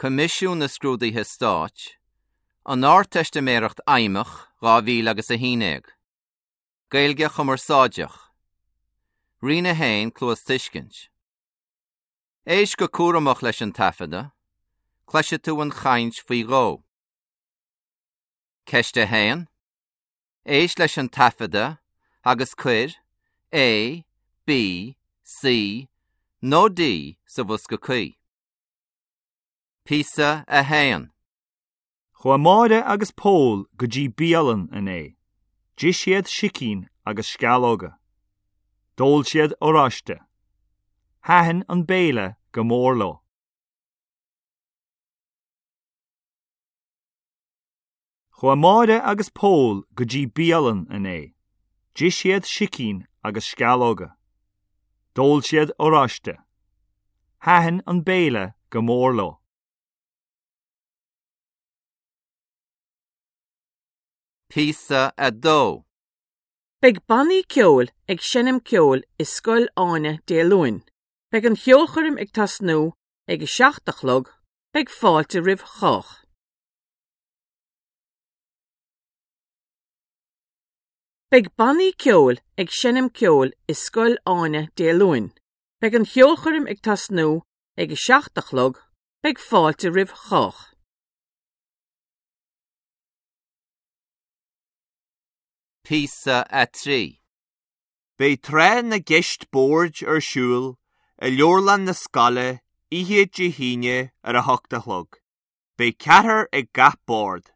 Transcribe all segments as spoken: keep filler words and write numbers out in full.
Coimisiún na Scrúduithe Stáit, an Ardteistiméireacht Fheidhmeach dhá mhíle agus a haon déag. Gaeilge Chumarsáideach. Roinn a haon Cluastuiscint. Éist go cúramach leis an taifeadadh, cloisfidh tú an chaint faoi dhó. Ceist a haon. Éist leis an taifeadadh agus cuir A, B, C nó D sa bhosca cuí. Píosa a haon. Chuaigh Máire agus Pól go dtí bialann inné. D'ith siad sicín agus sceallóga. D'ól siad oráiste. Thaitin an béile go mór leo. Chuaigh Máire agus Pól go dtí bialann inné. D'ith siad sicín agus sceallóga. D'ól siad oráiste. Thaitin an béile go mór leo. Píosa a dó. Beidh bannaí ceoil ag seinm ceoil i Scoil Áine Dé Luain. Beidh an cheolchoirm ag tosnú ag a seacht a chlog, beidh fáilte roimh chách. Beidh bannaí ceoil ag seinm ceoil i Scoil Áine Dé Luain. Beidh an cheolchoirm ag tosnú ag a seacht a chlog, beidh fáilte roimh chách. Píosa a trí. Beidh tráth na gceist boird ar siúl i leabharlann na scoile oíche Dé hAoine ar a hocht a chlog. Beidh ceathrar ag gach bord.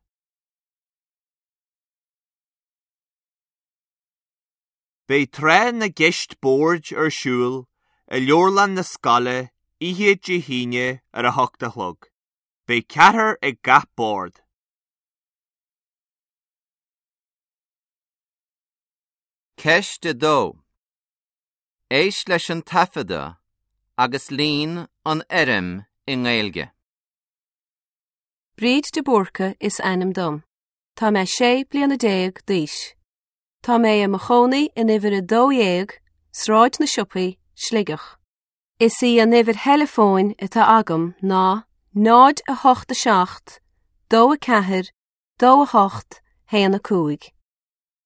Beidh tráth na gceist boird ar siúl i leabharlann na scoile oíche Dé hAoine ar a hocht a chlog. Beidh ceathrar ag gach bord. Ceist a dó. Éist leis an taifeadadh agus líon an fhoirm i nGaeilge. Bríd de Búrca is ainm dom. Tá mé sé bliana déag d'aois. Tá mé i mo chónaí in uimhir a dó dhéag, Sráid na Siopaí, Sligeach. Is í an uimhir theileafóin atá agam ná náid a hocht a seacht, dó a ceathair, dó a hocht, haon a cúig.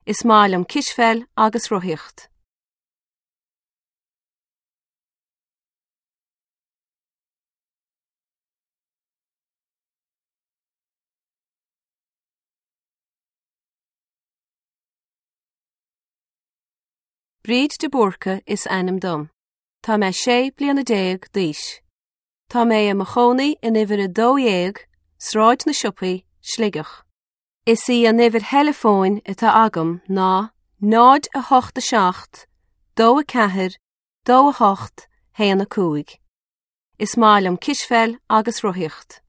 Is maith liom cispheil agus rothaíocht. Bríd de Búrca is ainm dom. Tá mé sé bliana déag d'aois. Tá mé i mo chónaí in uimhir a dó dhéag, Sráid na Siopaí, Sligeach. Is í an uimhir theileafóin atá agam ná náid a hocht a seacht, dó a ceathair, dó a hocht, haon a cúig. Is maith liom cispheil agus rothaíocht.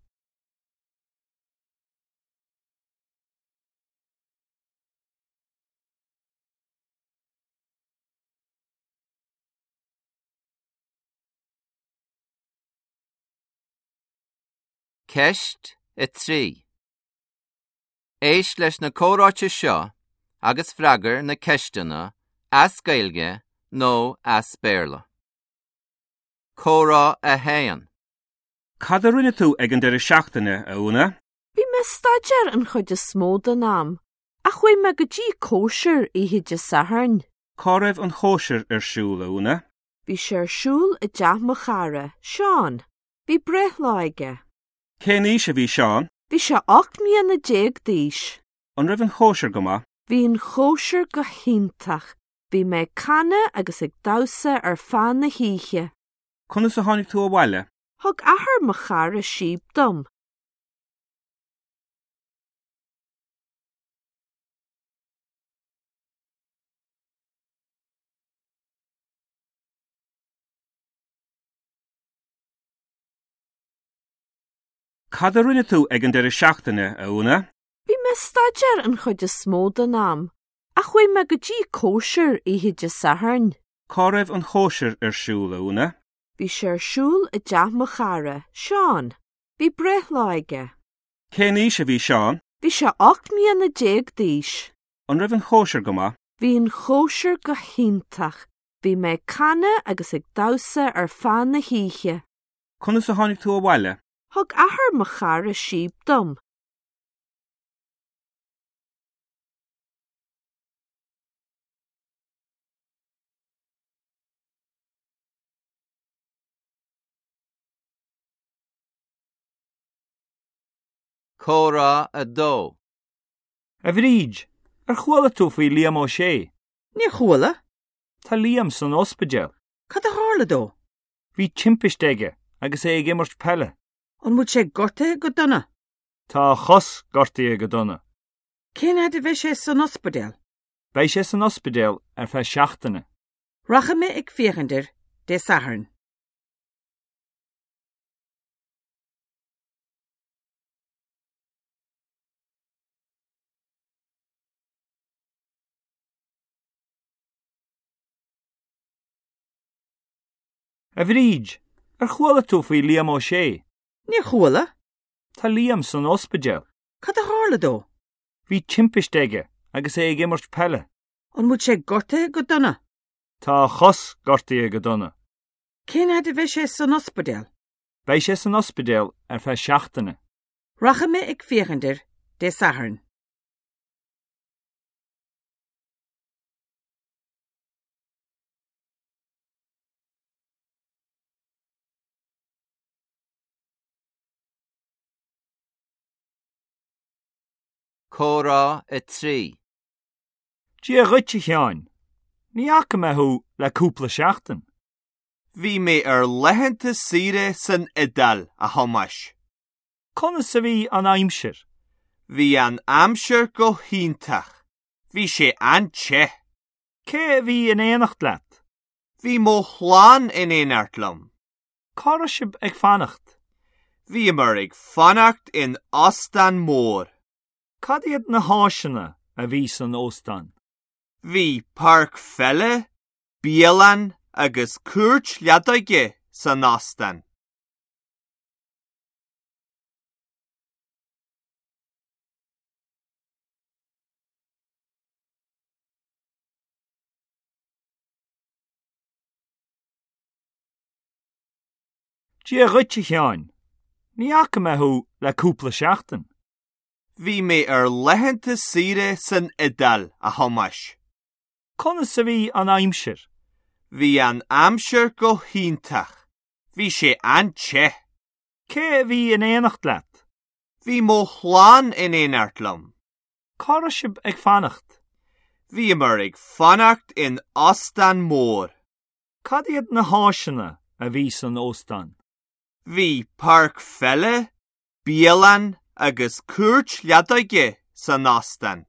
Ceist a trí. Éist leis na comhráite seo agus freagair na ceisteanna as Gaeilge nó as Béarla. Comhrá a haon. Cad a rinne tú ag an deireadh seachtaine, a Úna? Bhí mé ag staidéar an chuid is mó den am, ach chuaigh mé go dtí cóisir oíche Dé Sathairn. Cá raibh an chóisir ar siúl, a Úna? Bhí sé ar siúl i dteach mo chara, Seán. Bhí breithlá aige. Cén aois a bhí Seán? Bhí sé ocht mbliana déag d'aois. An raibh an chóisir go maith? Bhí an chóisir go hiontach. Bhí mé ag canadh agus ag damhsa ar feadh na hoíche. Conas a tháinig tú abhaile? Thug athair mo chara síob dom. Cad a rinne tú ag an deireadh seachtaine, a Úna? Bhí mé ag staidéar an chuid is mó den am, ach chuaigh mé go dtí cóisir oíche Dé Sathairn. Cá raibh an chóisir ar siúl, a Úna? Bhí sé ar siúl i dteach mo chara, Seán. Bhí breithlá aige. Cén aois a bhí Seán? Bhí sé ocht mbliana déag d'aois. An raibh an chóisir go maith? Bhí an chóisir go hiontach. Bhí mé ag canadh agus ag damhsa ar feadh na hoíche. Conas a tháinig tú abhaile? Thug athair mo chara síob dom. Comhrá a dó. A Bhríd, ar chuala tú faoi Liam Ó Sé? Níor chuala? Tá Liam san ospidéal. Cad a tharla dó? Bhí timpiste aige agus é ag imirt peile. An bhfuil sé gortaithe go dona? Tá a chos gortaithe go dona. Cén fhad a bheidh sé san ospidéal? Beidh sé san ospidéal ar feadh seachtaine. Rachaidh mé ag féachaint air Dé Sathairn. A Bhríd, ar chuala tú faoi Liam Ó Sé? Níor chuala? Tá Liam san ospidéal. Cad a tharla dó? Bhí timpiste aige agus é ag imirt peile. An bhfuil sé gortaithe go dona? Tá a chos gortaithe go dona. Cén fhad a bheidh sé san ospidéal? Beidh sé san ospidéal ar feadh seachtaine. Rachaidh mé ag féachaint air Dé Sathairn. Comhrá a trí. Dia dhuit a Sheáin, ní fhaca mé thú le cúpla seachtain. Bhí mé ar laethanta saoire san Iodáil, a Thomáis. Conas a bhí an aimsir? Bhí an aimsir go hiontach. Bhí sé an-te. Cé a bhí in éineacht leat? Bhí mo chlann in éineacht liom. Cá raibh sibh ag fanacht? Bhíomar ag fanacht in óstán mór. Cad iad na háiseanna a bhí san óstán? Bhí páirc pheile, bialann agus cúirt leadóige san óstán. Dia dhuit a Sheáin, ní fhaca mé thú le cúpla seachtain. Bhí mé ar laethanta saoire san Iodáil, a Thomáis. Conas a bhí an aimsir? Bhí an aimsir go hiontach. Bhí sé an-te. Cé a bhí in éineacht leat? Bhí mo chlann in éineacht liom. Cá raibh sibh ag fanacht? Bhíomar ag fanacht in óstán mór. Cad iad na háiseanna a bhí san óstán? Bhí páirc pheile, bialann agus cúirt leadóige san óstán.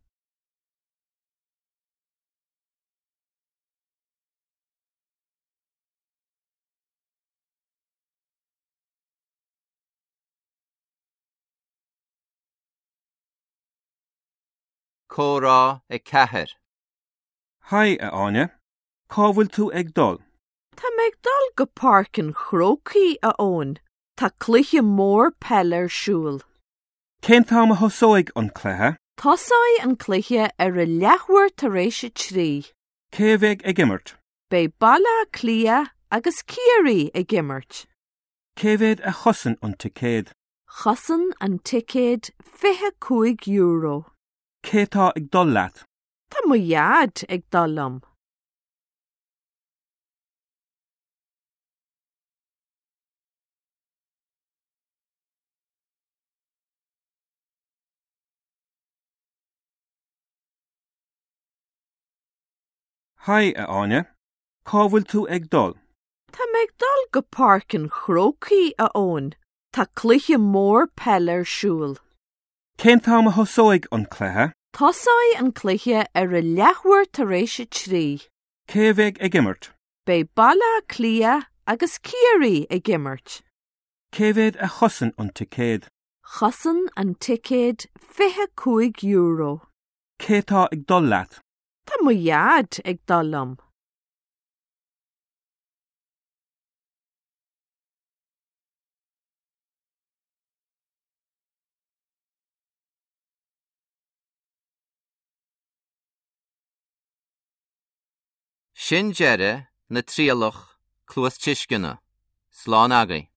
Comhrá a ceathair. Haigh, a Áine. Cá bhfuil tú ag dul? Tá mé ag dul go Páirc an Chrócaigh, a Eoin. Tá cluiche mór peile ar siúl. Cén t-am a thosóidh an cluiche? Tosóidh an cluiche ar a leathuair tar éis a trí. Cé a bheidh ag imirt? Beidh Baile Átha Cliath agus Ciarraí ag imirt. Cé mhéad a chosain an ticéad? Chosain an ticéad fiche cúig euro. Cé tá ag dul leat? Tá mo dhaid ag dul liom. Haigh, a Áine. Cá bhfuil tú ag dul? Tá mé ag dul go Páirc an Chrócaigh, a Eoin. Tá cluiche mór peile ar siúl. Cén t-am a thosóidh an cluiche? Tosóidh an cluiche ar a leathuair tar éis a trí. Cé a bheidh ag imirt? Beidh Baile Átha Cliath agus Ciarraí ag imirt. Cé mhéad a chosain an ticéad? Chosain an ticéad fiche cúig euro. Cé tá ag dul leat? Tá mo dhaid ag dul liom. Sin deireadh na trialach cluastuisceana. Slán agaibh.